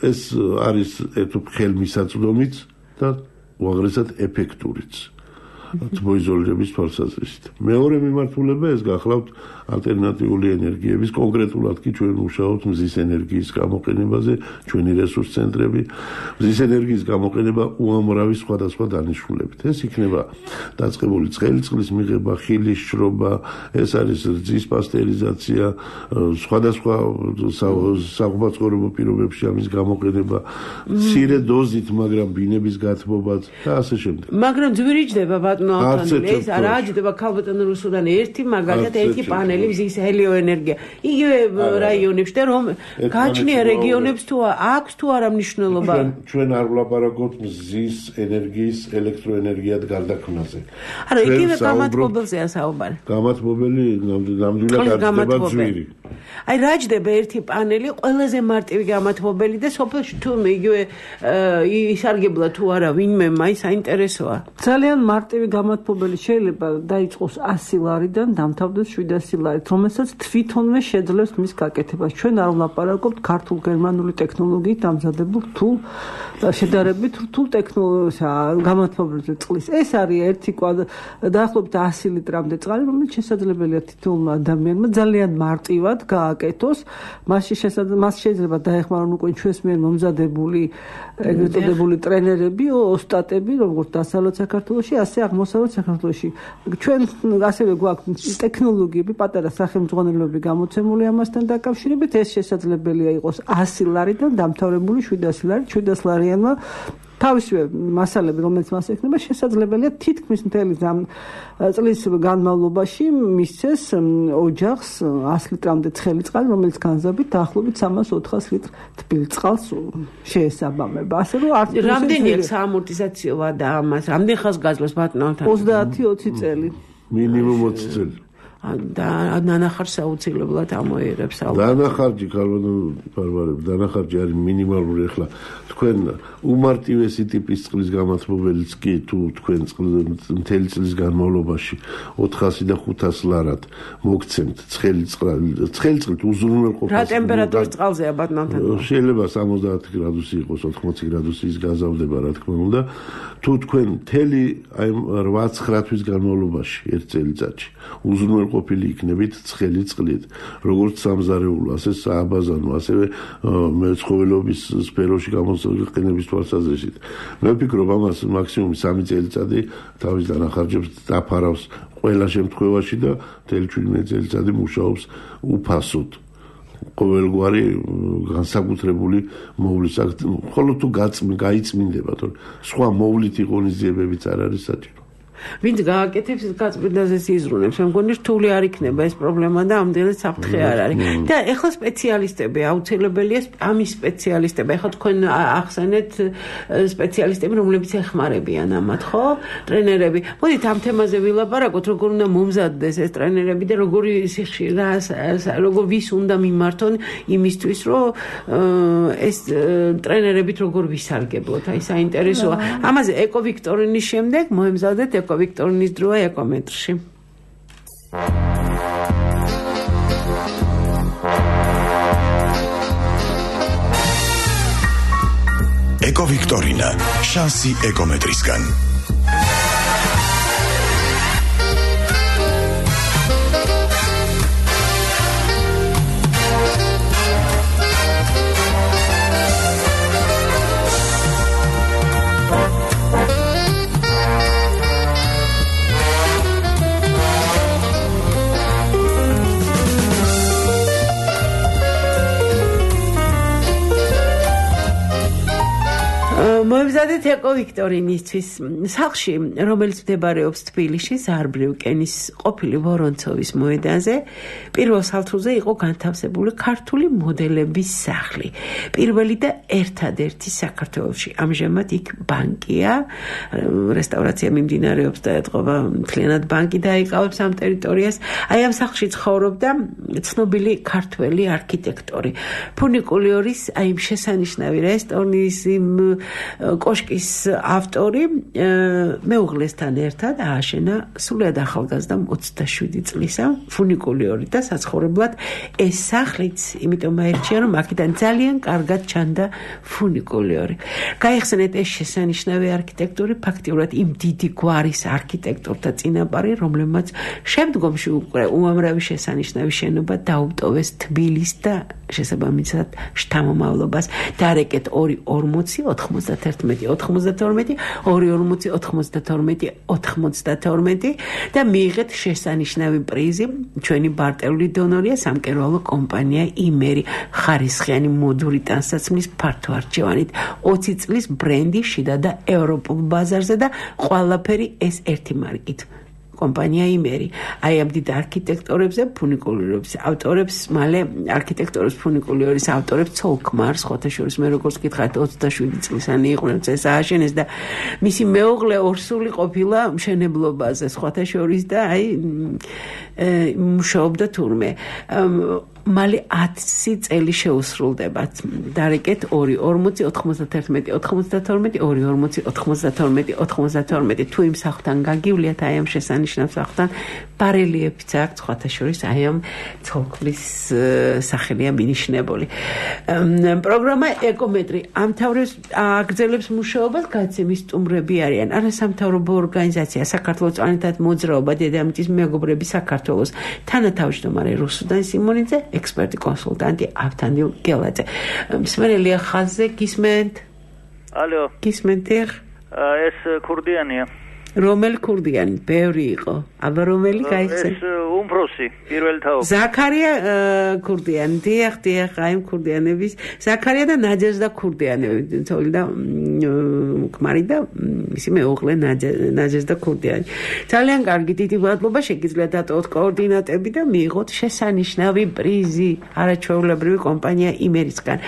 ეს არის ერთ ხელმისაწვდომიც და უაღრესად ეფექტურიც თბოიზოლირების თვალსაზრისით. მეორე მიმართულება ეს გახლავთ ალტერნატიული ენერგიების, კონკრეტულად კი ჩვენ მუშაობთ მზის ენერგიის გამოყენებაზე, ჩვენი რესურს ცენტრები, მზის ენერგიის გამოყენება უამრავი სხვადასხვა დანიშნულებით. ეს იქნება დაწყებული ცხელი წყლის მიღება, ხილის შრობა, ეს არის რძის პასტერიზაცია, სხვადასხვა საღვაწლო პირობებში ამის გამოყენება, მცირე დოზით, მაგრამ ბინების გათბობაც და ასე შემდეგ. მაგრამ ძვირიჯდება ბატონო ალთანელი, ეს არა ჯდება ქალბატონო რუსუდან ერთი მაგალითად ერთი პანელი მზის ჰელიოენერგია. იგივე რაიონებში და რომ გააჩნია რეგიონებს თუ აქვს თუ არა მნიშვნელობა. ჩვენ არ ვლაპარაკობთ მზის ენერგიის ელექტროენერგიად გარდაქმნაზე. არა, იგივე გამათბობელზეა საუბარი. გამათბობელი ნამდვილად გარდდება ძვირი. აი რა ჯდება ერთი პანელი ყველაზე მარტივი გამათბობელი და სოფელში თუ იგივე ისარგებლა თუ არა ვინმე მაინც საინტერესოა. ძალიან მარტივი გამათბობელი შეიძლება დაიწყოს ასი ლარიდან დამთავრდეს შვიდასი ლარით, რომელსაც თვითონვე შეძლებს მის გაკეთებას. ჩვენ არ ვლაპარაკობთ ქართულ-გერმანული ტექნოლოგიით დამზადებულ რთულ შედარებით რთულ ტექნოლოგიასა გამათბობელზე წყლის. ეს არის ერთი დაახლოებით ასი ლიტრამდე წყალი, რომელიც შესაძლებელია თითოეულ ადამიანმა ძალიან მარტივად გააკეთოს. მასში მას შეიძლება დაეხმარონ უკვე ჩვენს მიერ მომზადებული ეგრეთ წოდებული ტრენერები, ოსტატები, როგორც დასავლეთ საქართველოში, ასე აღმოსავლეთ საქართველოში. ჩვენ ასევე გვაქვს ტექნოლოგიები, პატარა სახელმძღვანელოები გამოცემული ამასთან დაკავშირებით, ეს შესაძლებელია იყოს ასი ლარიდან დამთავრებული შვიდასი ლარით, შვიდასი ლარიანმა თავისივე მასალები, რომელიც მას ექნება, შესაძლებელია თითქმის მთელი წლის განმავლობაში მისცეს ოჯახს ასი litrამდე ცხელი წყალი, რომელიც განზავით დაახლოებით სამას ოთხას ლიტრ თბილ წყალს შეესაბამება. ასე რომ არ რამდენი საამორტიზაციოა და ამას რამდენ ხანს გაძლევს ბატონთან? ოცდაათი ოცი წელი. მინიმუმ ოცი წელი. და ნანახარს აუცილებლად ამოიერებს. დანახარჯი ქალბატონო ბარბარები, დანახარჯი არის მინიმალური. ახლა თქვენ უმარტივესი ტიპის წყლის გამათბობელიც კი თუ თქვენ მთელი წლის განმავლობაში ოთხასი და ხუთასი ლარად მოგცემთ ცხელი წყალი, ცხელი წყლით უზრუნველყოფას. რა ტემპერატურის წყალზეა ბატონთან? შეიძლება სამოცდაათი გრადუსი იყოს, ოთხმოცი გრადუსი ის გაზავდება, რა თქმა უნდა. თუ თქვენ მთელი აი რვა ცხრა თვის განმავლობაში ერთ წელიწადში უზრუნველყოფთ ყოფილი იქნებით ცხელი წყლით, როგორც სამზარეულო, ასე სააბაზანო, ასევე მეცხოველეობის სფეროში გამოყენების თვალსაზრისით. მე ვფიქრობ, ამას მაქსიმუმ სამი წელიწადი თავის დანახარჯებს დაფარავს ყველა შემთხვევაში და მთელი ჩვიდმეტი წელიწადი მუშაობს უფასოდ. ყოველგვარი განსაკუთრებული მოვლის აქ, ხოლო თუ გაიწმინდება, თორე სხვა მოვლითი ღონისძიებებიც არ არის საჭირო. ვინც გააკეთებს გაწმიდაზეც იზრუნებს, მე მგონი რთული არ იქნება ეს პრობლემა და ამდენად საფრთხე არ არის. და ეხლა სპეციალისტები აუცილებელია ამის სპეციალისტები. ეხლა თქვენ ახსენეთ სპეციალისტები, რომლებიც ეხმარებიან ამათ, ხო? ტრენერები. მოდით ამ თემაზე ვილაპარაკოთ, როგორ უნდა მომზადდეს ეს ტრენერები და როგორი სიხში რა როგორ ვის უნდა მიმართონ იმისთვის, რომ ეს ტრენერებით როგორ ვისარგებლოთ. აი საინტერესოა. ამაზე ეკოვიქტორინის შემდეგ მოემზადეთ ეკოვიქტორინის დროა ეკომეტრში. ეკოვიქტორინა, შანსი ეკომეტრისგან. მოემზადეთ ეკოვიქტორინისთვის. სახლში, რომელიც მდებარეობს თბილისში, ზარბრივ კენის ყოფილი ვორონცოვის მოედანზე, პირველ სართულზე იყო განთავსებული ქართული მოდელების სახლი. პირველი და ერთადერთი საქართველოში. ამჟამად იქ ბანკია, რესტავრაცია მიმდინარეობს და ეთყობა მთლიანად ბანკი დაიკავებს ამ ტერიტორიას. აი ამ სახლში ცხოვრობდა ცნობილი ქართველი არქიტექტორი. ფუნიკულიორის აი იმ შესანიშნავი რესტორნის იმ კოშკის ავტორი მეუღლესთან ერთად ააშენა სულად ახალგაზრდა ოცდაშვიდი წლისა ფუნიკულიორი და საცხოვრებლად ეს სახლიც იმიტომ აირჩია, რომ აქედან ძალიან კარგად ჩანდა ფუნიკულიორი. გაიხსენეთ ეს შესანიშნავი არქიტექტორი ფაქტიურად იმ დიდი გვარის არქიტექტორთა წინაპარი, რომლებმაც შემდგომში უკვე უამრავი შესანიშნავი შენობა დაუტოვეს თბილისს და შესაბამისად შთამომავლობას. დარეკეთ ორი ორმოცი ოთხმოცდათერთმეტი ოთხმოცდათორმეტი ორი ორმოცი ოთხმოცდათორმეტი ოთხმოცდათორმეტი და მიიღეთ შესანიშნავი პრიზი. ჩვენი ბარტეული დონორია სამკერვალო კომპანია იმერი, ხარისხიანი მოდური ტანსაცმლის ფართო არჩევანით, ოცი წლის ბრენდი შიდა და ევროპულ ბაზარზე და ყველაფერი ეს ერთი მარკით. კომპანია იმერი. აი ამ დიდ არქიტექტორებზე, ფუნიკულიორების ავტორებს, მალე არქიტექტორის ფუნიკულიორის ავტორებს ცოლ-ქმარს, სხვათა შორის მე როგორც გითხარით ოცდაშვიდი წლისანი იყო, ეს ააშენეს და მისი მეუღლე ორსული ყოფილა მშენებლობაზე, სხვათა შორის და აი მუშაობდა თურმე. მალე ათი წელი შეუსრულდება. დარეკეთ ორი ორმოცი ოთხმოცდათერთმეტი ოთხმოცდათორმეტი ორი ორმოცი ოთხმოცდათორმეტი ოთხმოცდათორმეტი თუ იმ სახლთან გაგივლიათ, აი ამ შესანიშნავ სახლთან ბარელიებიც აქვს, სხვათა შორის აი ამ ცოლ-ქმრის სახელია მინიშნებული. პროგრამა ეკომეტრი ამთავრებს აგრძელებს მუშაობას, გაცემის სტუმრები არიან არასამთავრობო ორგანიზაცია საქართველოს წვანეთად მოძრაობა, დედამიწის მეგობრები საქართველოს, თანათავმჯდომარე რუსუდან სიმონიძე, ექსპერტი კონსულტანტი ავთანდილ გელაძე. მსმენელია ხაზზე, გისმენთ? ალო. გისმენთ? ეს ქურდიანია. რომელი ქურდიანი? ბევრი იყო. აბა რომელი გაიხსენ? ეს უმფროსი, პირველ თაობ. ზაქარია ქურდიანი, დიახ, დიახ, აი ქურდიანების, ზაქარია და ნაჯაზდა ქურდიანები, თოლი და ქმარი და მისი მეუღლე ნაჯაზდა ქურდიანი. ძალიან კარგი, დიდი მადლობა, შეგიძლიათ დატოვოთ კოორდინატები და მიიღოთ შესანიშნავი პრიზი არაჩვეულებრივი კომპანია იმერისგან.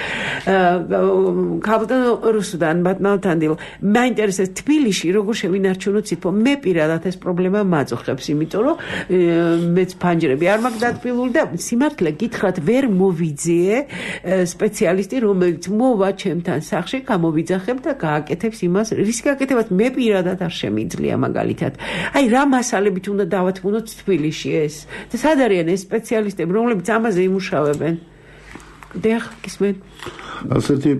ქაბულტან რუსუდან ბატმავთანდილ, მაინტერესებს თბილისში როგორ შევინარჩუნოთ სიტყვა. მე პირადად ეს პრობლემა მაძოხებს, იმიტომ რომ მეც ფანჯრები არ მაქვს დათბილული და სიმართლე გითხრათ ვერ მოვიძიე სპეციალისტი, რომელიც მოვა ჩემთან სახლში, გამოვიძახებ და გააკეთებს იმას, რის გააკეთებათ მე პირადად არ შემიძლია მაგალითად. აი რა მასალებით უნდა დავათმუნოთ თბილისში ეს? და სად არიან ეს სპეციალისტები, რომლებიც ამაზე იმუშავებენ? დიახ, გისმენთ? ასეთი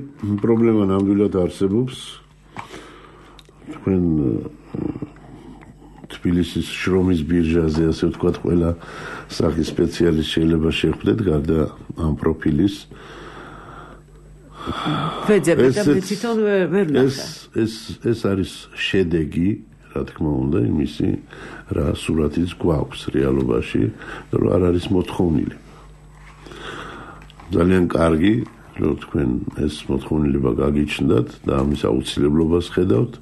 პრობლემა ნამდვილად არსებობს. თქვენ თბილისის შრომის ბირჟაზე, ასე ვთქვათ, ყველა სახის სპეციალისტ შეიძლება შეხვდეთ გარდა ამ პროფილის. ვეძებთ და თვითონ ვერ ნახე. ეს ეს ეს არის შედეგი, რა თქმა უნდა, იმისი, რა სურათიც გვაქვს რეალობაში, რომ არ არის მოთხოვნილი. ძალიან კარგი, რომ თქვენ ეს მოთხოვნილება გაგიჩნდათ და ამის აუცილებლობას ხედავთ.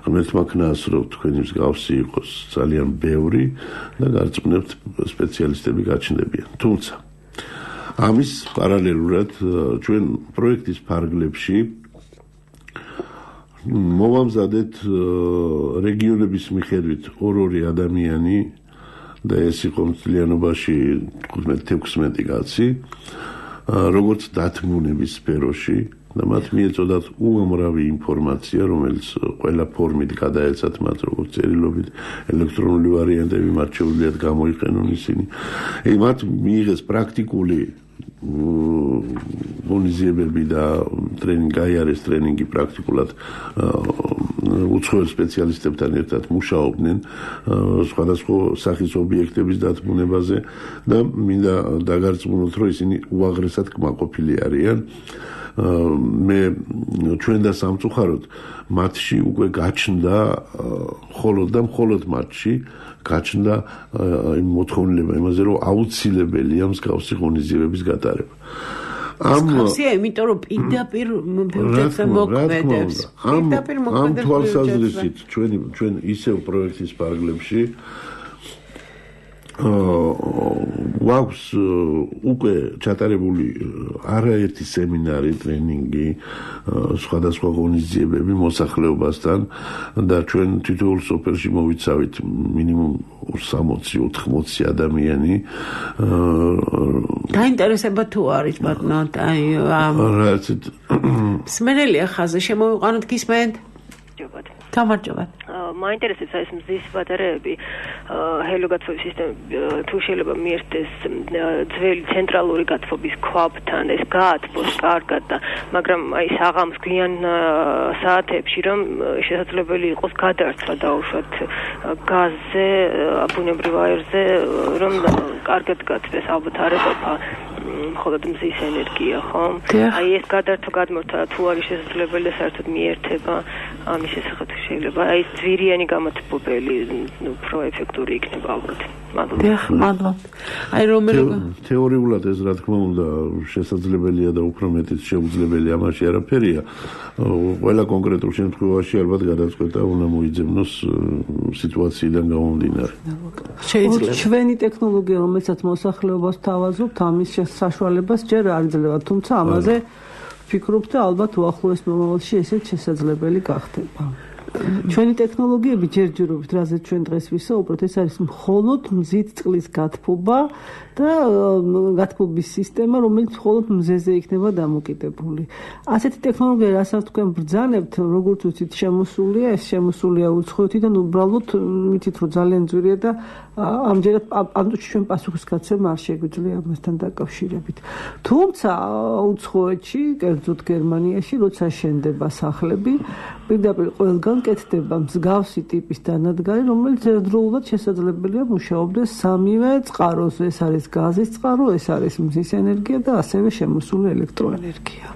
ღმერთმა ქნას, რომ თქვენი მსგავსი იყოს ძალიან ბევრი და გარწმუნებთ სპეციალისტები გაჩნდებიან. თუმცა ამის პარალელურად ჩვენ პროექტის ფარგლებში მოვამზადეთ რეგიონების მიხედვით ორ-ორი ადამიანი და ეს იყო მთლიანობაში თხუთმეტ-ექვსმეტი კაცი, როგორც დათმუნების სფეროში და მათ მიეწოდათ უამრავი ინფორმაცია, რომელიც ყველა ფორმით გადაეცათ მათ, როგორც წერილობით, ელექტრონული ვარიანტები, მათ შეუძლიათ გამოიყენონ ისინი. ე მათ მიიღეს პრაქტიკული ღონისძიებები და ტრენინგი, აიარეს ტრენინგი პრაქტიკულად უცხოელ სპეციალისტებთან ერთად მუშაობდნენ სხვადასხვა სახის ობიექტების დათმუნებაზე და მინდა დაგარწმუნოთ, რომ ისინი უაღრესად კმაყოფილი არიან. მე ჩვენ და სამწუხაროდ მათში უკვე გაჩნდა მხოლოდ და მხოლოდ მათში გაჩნდა იმ მოთხოვნილება იმაზე, რომ აუცილებელია მსგავსი ღონისძიებების გატარება. მსგავსია, იმიტომ რომ პირდაპირ ბიუჯეტზე მოქმედებს. პირდაპირ მოქმედებს. ამ თვალსაზრისით ჩვენი ჩვენ ისევ პროექტის ფარგლებში გვაქვს უკვე ჩატარებული არაერთი სემინარი, ტრენინგი, სხვადასხვა ღონისძიებები მოსახლეობასთან და ჩვენ თითოეულ სოფელში მოვიცავით მინიმუმ სამოცი ოთხმოცი ადამიანი. დაინტერესება თუ არის ბატონო, აი ამ სმენელია ხაზი შემოვიყვანოთ გისმენთ? გამარჯობა. მაინტერესებს ეს მზის ბატარეები, ჰელიოგაცვლის სისტემა თუ შეიძლება მიერთდეს ძველი ცენტრალური გათბობის ქვაბთან, ეს გაათბოს კარგად და მაგრამ აი საღამოს გვიან საათებში რომ შესაძლებელი იყოს გადარცვა დაუშვათ გაზზე, ბუნებრივ აირზე, რომ კარგად გაწდეს, ალბათ არ ეყოფა მხოლოდ მზის ენერგია, ხო? აი ეს გადარცვა გადმორთა თუ არის შესაძლებელი საერთოდ მიერთება ამის შესახებ შეიძლება აი ძვირიანი გამათბობელი უფრო ეფექტური იქნება ალბათ. მადლობა. აი რომელი თეორიულად ეს რა თქმა უნდა შესაძლებელია და უფრო მეტიც შეუძლებელი, ამაში არაფერია. ყველა კონკრეტულ შემთხვევაში ალბათ გადაწყვეტა უნდა მოიძებნოს სიტუაციიდან გამომდინარე. შეიძლება ჩვენი ტექნოლოგია, რომელსაც მოსახლეობას თავაზობთ, ამის საშუალებას ჯერ არ იძლევა, თუმცა ამაზე ვფიქრობ და ალბათ უახლოეს მომავალში ესეც შესაძლებელი გახდება. ჩვენი ტექნოლოგიები ჯერჯერობით, რაზეც ჩვენ დღეს ვისაუბროთ, ეს არის მხოლოდ მზით წყლის გათბობა და გათბობის სისტემა, რომელიც მხოლოდ მზეზე იქნება დამოკიდებული. ასეთი ტექნოლოგია, რასაც თქვენ ბრძანებთ, როგორც ვთქვით, შემოსულია, ეს შემოსულია უცხოეთიდან, უბრალოდ მითით, რომ ძალიან ძვირია და ამჯერად ამ ჩვენ პასუხისგაცემ არ შეგვიძლია ამასთან დაკავშირებით. თუმცა უცხოეთში, კერძოდ გერმანიაში, როცა შენდება სახლები, პირდაპირ ყველგან კეთდება მსგავსი ტიპის დანადგარი, რომელიც ერთდროულად შესაძლებელია მუშაობდეს სამივე წყაროზე, ეს არის გაზის წყარო, ეს არის მზის ენერგია და ასევე შემოსული ელექტროენერგია.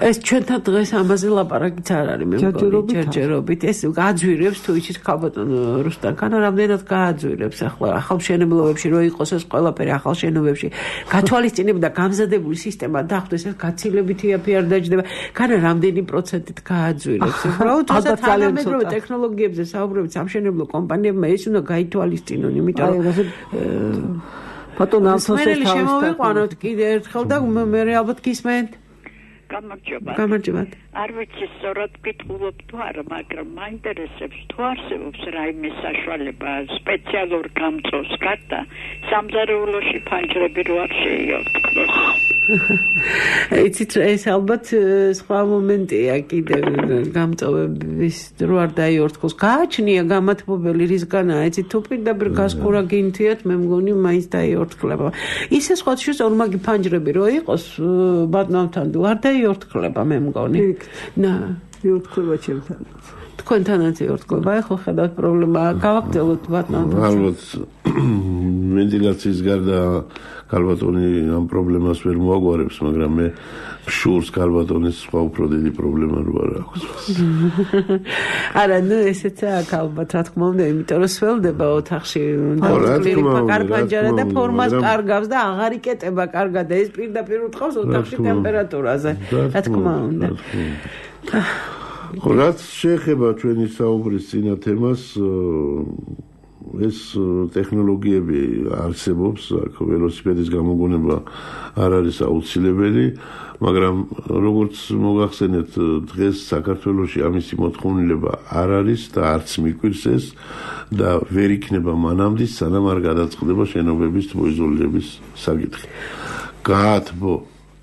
ეს ჩვენთან დღეს ამაზე ლაპარაკიც არ არის, მე მგონი, ჯერჯერობით. ეს გააძვირებს თუ იცით ხალბატონ რუსტან ქანა, რამდენად გააძვირებს ახლა ახალ მშენებლობებში, რო იყოს ეს ყველაფერი ახალ შენობებში, გათვალისწინებ და გამზადებული სისტემა დახვდეს, ეს გაცილებითი აფი არ დაჯდება. ქანა რამდენი პროცენტით გააძვირებს. უბრალოდ თუნდაც თანამედროვე ტექნოლოგიებზე საუბრობთ სამშენებლო კომპანიებმა ეს უნდა გაითვალისწინონ, იმიტომ რომ ბატონო ამფოსეს შემოვიყვანოთ კიდე ერთხელ და მე ალბათ გისმენთ. გამარჯობა. გამარჯობა. არ ვიცი სწორად გიტყულობ თუ არა, მაგრამ მაინტერესებს თუ არსებობს რაიმე საშუალება სპეციალურ გამწოს გარდა სამზარეულოში ფანჯრები რო არ შეიორთქლოს. იცით ეს ალბათ სხვა მომენტია კიდე გამწოვების რო არ დაიორთქოს. გააჩნია გამათბობელი რისგანაა, იცით თუ პირდაპირ გასკურა გინთიათ, მე მგონი მაინც დაიორთქლება. ისე სხვა შუს ორმაგი ფანჯრები რო იყოს ბატონთან არ დაიორთქლება, მე მგონი. ნა, იორთქლება ჩემთან. თქვენთანაც იორთქლება, ეხლა ხედავთ პრობლემაა, გავაგრძელოთ ბატონო. ალბათ ვენტილაციის გარდა ქალბატონი ამ პრობლემას ვერ მოაგვარებს, მაგრამ მე შურს ქალბატონის სხვა უფრო დიდი პრობლემა რო არ აქვს. არა, ნუ ესეცაა ალბათ, რა თქმა უნდა, იმიტომ რომ სველდება ოთახში, და კარპანჯარა და ფორმას კარგავს და აღარ იკეტება კარგად და ეს პირდაპირ უთხოვს ოთახში ტემპერატურაზე. რა თქმა უნდა. ხო, რაც შეეხება ჩვენი საუბრის წინა თემას, ეს ტექნოლოგიები არსებობს, აქ ველოსიპედის გამოგონება არ არის აუცილებელი, მაგრამ როგორც მოგახსენეთ, დღეს საქართველოში ამისი მოთხოვნილება არ არის და არც მიკვირს ეს და ვერ იქნება მანამდე, სანამ არ გადაწყდება შენობების მოიზოლირების საკითხი. გაათბო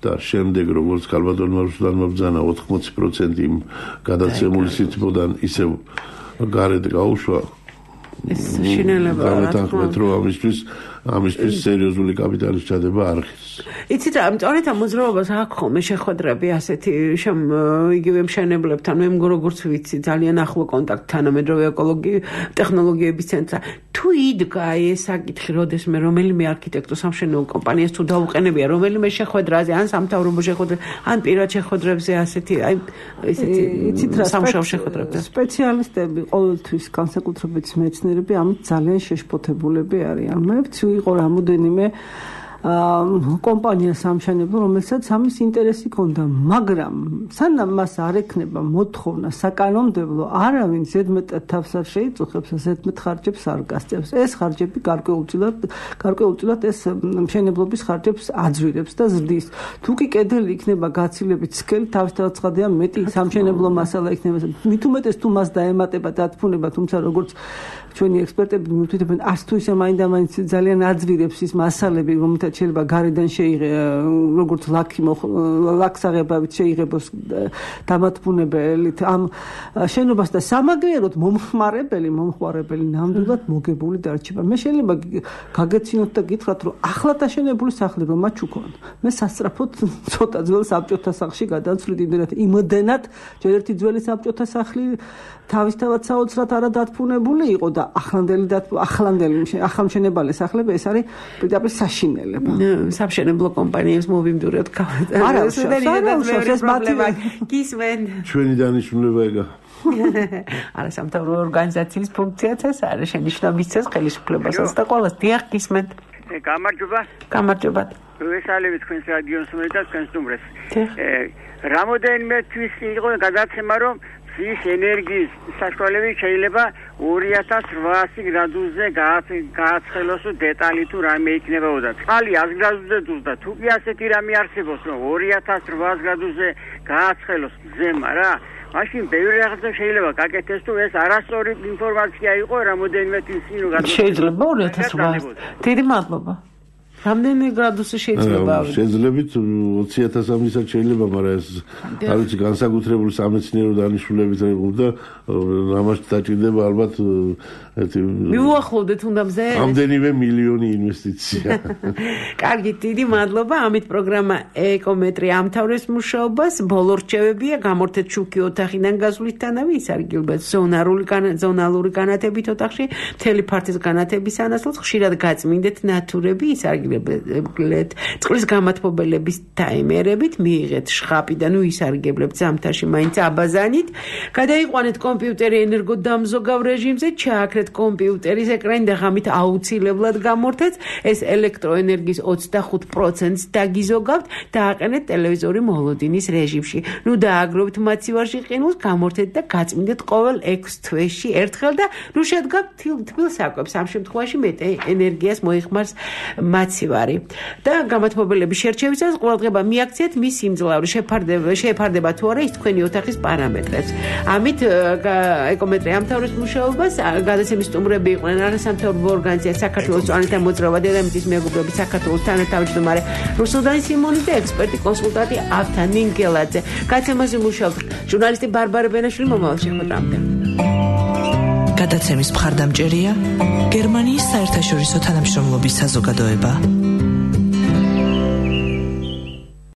და შემდეგ როგორც ქალბატონმა რუსლანმა ბრძანა ოთხმოცი პროცენტი იმ გადაცემული სითბოდან ისევ გარეთ გაუშვა ეს შინელება რა თქმა უნდა რომ ამისთვის ამისთვის სერიოზული კაპიტალის ჩადება არ ხის. იცით რა, სწორედ ამ მოძრაობას აქ ხოლმე შეხვედრები ასეთი შემ იგივე მშენებლებთან, მე როგორც ვიცი, ძალიან ახლო კონტაქტი თანამედროვე ეკოლოგიის ტექნოლოგიების ცენტრთან. თუ იდგა ეს საკითხი, როდესმე რომელიმე არქიტექტორ სამშენებლო კომპანიას თუ დაუყენებია რომელიმე შეხვედრაზე, ან სამთავრობო შეხვედრაზე, ან პირად შეხვედრებზე ასეთი, აი ესეთი იცით რა, სამშაბლო შეხვედრებზე. სპეციალისტები ყოველთვის განსაკუთრებით მეცნიერები ამით ძალიან შეშფოთებულები არიან. მე ვცი იყო რამოდენიმე კომპანია სამშენებლო, რომელსაც ამის ინტერესი ჰქონდა, მაგრამ სანამ მას არ ექნება მოთხოვნა საკანონმდებლო, არავინ ზედმეტად თავს არ შეიწუხებს, ზედმეტ ხარჯებს არ გასწევს. ეს ხარჯები გარკვეულწილად, გარკვეულწილად ეს მშენებლობის ხარჯებს აძვირებს და ზრდის. თუ კი კედელი იქნება გაცილებით სქელი, თავისთავად ცხადია მეტი სამშენებლო მასალა იქნება. მით უმეტეს თუ მას დაემატება დათფუნება, თუმცა როგორც ჩვენი ექსპერტები მივთვითებენ, ას თუ ისე მაინდამაინც ძალიან აძვირებს ის მასალები, რომელთაც შეიძლება გარედან შეიღე, როგორც ლაკი ლაქსაღებავით შეიღებოს დამათბუნებელით ამ შენობას და სამაგიეროდ მომხმარებელი, მომხმარებელი ნამდვილად მოგებული დარჩება. მე შეიძლება გაგეცინოთ და გითხრათ, რომ ახლა დაშენებული სახლი რომ მაჩუქონ. მე სასწრაფოდ ცოტა ძველ საბჭოთა სახლში გადავცვლით, იმდენად იმდენად ჯერ ერთი ძველი საბჭოთა სახლი თავისთავად საოცრად არადათბუნებული იყო და ახლანდელი ახლანდელი ახალმშენებალი სახლები ეს არის პირდაპირ საშინელება. სამშენებლო კომპანიებს მოვიმდურეთ გავეთ. არა, ეს პრობლემა გისმენ. ჩვენი დანიშნულება ეგა. არა, სამთავრობო ორგანიზაციის ფუნქციაც ეს არის, შენიშვნებისას ხელისუფლებასაც და ყველას დიახ გისმენთ. გამარჯობა. გამარჯობა. ვესალებით თქვენს რადიოს და თქვენს ნომრებს. რამოდენიმე თვის იყო გადაცემა, რომ ის ენერგიის საშუალებით შეიძლება ორი ათას რვაასი გრადუსზე გააცხელოს დეტალი თუ რამე იქნებოდა. წყალი ას გრადუსზე დუს და თუ კი ასეთი რამე არსებობს, რომ ორი ათას რვაას გრადუსზე გააცხელოს ზემა რა, მაშინ ბევრი რაღაცა შეიძლება გაკეთდეს თუ ეს არასწორი ინფორმაცია იყო რამოდენიმე თვის წინ გადაწყვეტა. შეიძლება ორი ათას რვაას. დიდი მადლობა. რამდენი გრადუსი შეიძლება ავიდე? შეძლებით ოცი ათასამდესაც შეიძლება, მაგრამ ეს არ ვიცი განსაკუთრებული სამეცნიერო დანიშნულებით და ამას დაჭირდება ალბათ ერთი მიუახლოვდეთ უნდა მზე ამდენივე მილიონი ინვესტიცია. კარგი, დიდი მადლობა. ამით პროგრამა ეკომეტრი ამთავრებს მუშაობას. ბოლო რჩევებია გამორთეთ შუქი ოთახიდან გასვლისთანავე, ის არის გილბეთ ზონალური ზონალური განათებით ოთახში, მთელი ფართის განათების ანაცვლოდ ხშირად გაწმინდეთ ნატურები, ის არის გილბეთ წყლის გამათბობელების ტაიმერებით, მიიღეთ შხაპი და ნუ ისარგებლებთ ზამთარში მაინც აბაზანით, გადაიყვანეთ კომპიუტერი ენერგოდამზოგავ რეჟიმზე, ჩააქრეთ კომპიუტერის ეკრანი და ღამით აუცილებლად გამორთეთ, ეს ელექტროენერგიის ოცდახუთ პროცენტს დაგიზოგავთ, დააყენეთ ტელევიზორი მოლოდინის რეჟიმში. ნუ დააგროვეთ მაცივარში ყინულს, გამორთეთ და გაწმინდეთ ყოველ ექვს თვეში ერთხელ და ნუ შედგათ თბილ საკვებს. ამ შემთხვევაში მეტი ენერგიას მოიხმარს მაცივარი. და გამათბობელების შერჩევისას ყურადღება მიაქციეთ მის სიმძლავრე, შეფარდება შეფარდება თუ არა ის თქვენი ოთახის პარამეტრებს. ამით ეკომეტრი ამთავრებს მუშაობას. გადაცემის სტუმრები იყვნენ არასამთავრობო ორგანიზაცია საქართველოს წვანეთა მოძრაობა დედამიწის მეგობრები საქართველოს თანათავმჯდომარე რუსუდან სიმონი და ექსპერტი კონსულტანტი ავთა ნინგელაძე. გადაცემაზე მუშაობს ჟურნალისტი ბარბარე ბენაშვილი. მომავალ შეხვედრამდე. გადაცემის მხარდამჭერია გერმანიის საერთაშორისო თანამშრომლობის საზოგადოება.